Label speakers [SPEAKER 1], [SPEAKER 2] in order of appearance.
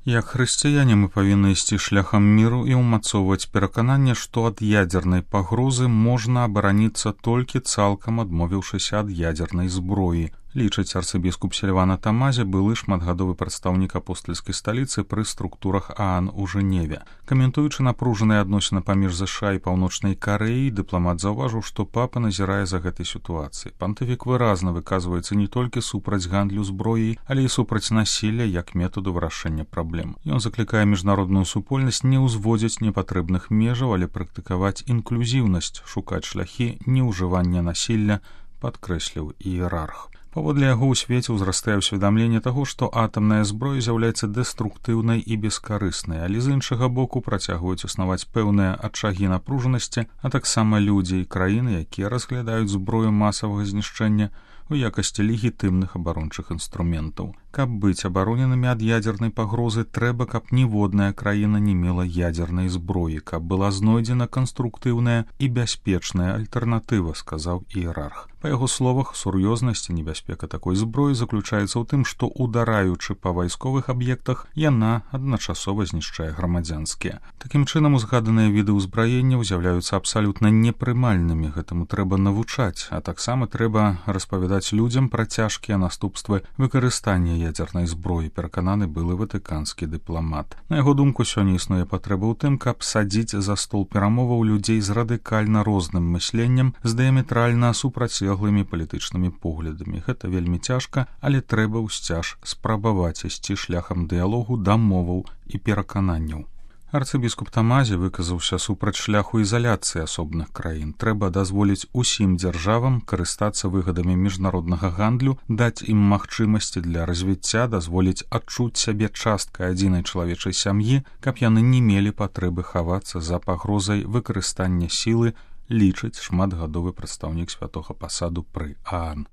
[SPEAKER 1] Як хрысціяне мы павінны ісці шляхам міру і ўмацоўваць перакананне, што ад ядзернай пагрозы можна абараніцца толькі цалкам адмовіўшыся ад ядзернай зброі, лічыць арцыбіскуп Сільвана Тамазе, былы шматгадовы прадстаўнік апостальскай сталіцы пры структурах ААН у Жэневе. Каментуючы напружаныя адносіны паміж ЗША і Паўночнай Карэяй, дыпламат заўважыў, што папа назірае за гэтай сітуацыяй. Пантыфік выразна выказваецца не толькі супраць гандлю зброяй, але і супраць насілля як метаду вырашэння праблем. Ён заклікае міжнародную супольнасць не ўзводзіць непатрэбных межаў, але практыкаваць інклюзіўнасць, шукаць шляхі неўжывання насілля, падкрэсліў іерарх. Паводле яго ў свеце ўзрастае ўсведамленне таго, што атамная зброя з'яўляецца дэструктыўнай і бескарыснай, але з іншага боку працягваюць існаваць пэўныя ачагі напружанасці, а таксама людзі і краіны, якія разглядаюць зброю масавага знішчэння у якасці легітымных абарончых інструментаў. Каб быць абароненымі ад ядзернай пагрозы, трэба, каб ніводная краіна не мела ядзернай зброі, каб была знойдзена канструктыўная і бяспечная альтэрнатыва, сказаў іерарх. Па яго словах, сур'ёзнасць і небяспека такой зброі заключаецца ў тым, што, удараючы па вайсковых аб'ектах, яна адначасова знішчае грамадзянскія. Такім чынам, узгаданыя віды ўзбраення з'яўляюцца абсалютна непрымальнымі, гэтаму трэба навучаць, а таксама трэба распавядаць людзям пра цяжкія наступствы выкарыстання ядзернай зброі, перакананы былы ватыканскі дыпламат. На яго думку, сёння існуе патрэба ў тым, каб садзіць за стол перамоваў людзей з радыкальна розным мысленнем, з дыяметральна супрацьлеглымі палітычнымі поглядамі. Гэта вельмі цяжка, але трэба ўсцяж спрабаваць ісці шляхам дыялогу, дамоваў і перакананняў. Арцыбіскуп Тамазе выказаўся супраць шляху ізаляцыі асобных краін. Трэба дазволіць усім дзяржавам карыстацца выгадамі міжнароднага гандлю, даць ім магчымасці для развіцця, дазволіць адчуць сябе часткай адзінай чалавечай сям'і, каб яны не мелі патрэбы хавацца за пагрозай выкарыстання сілы, лічыць шматгадовы прадстаўнік святога пасаду пры ААН.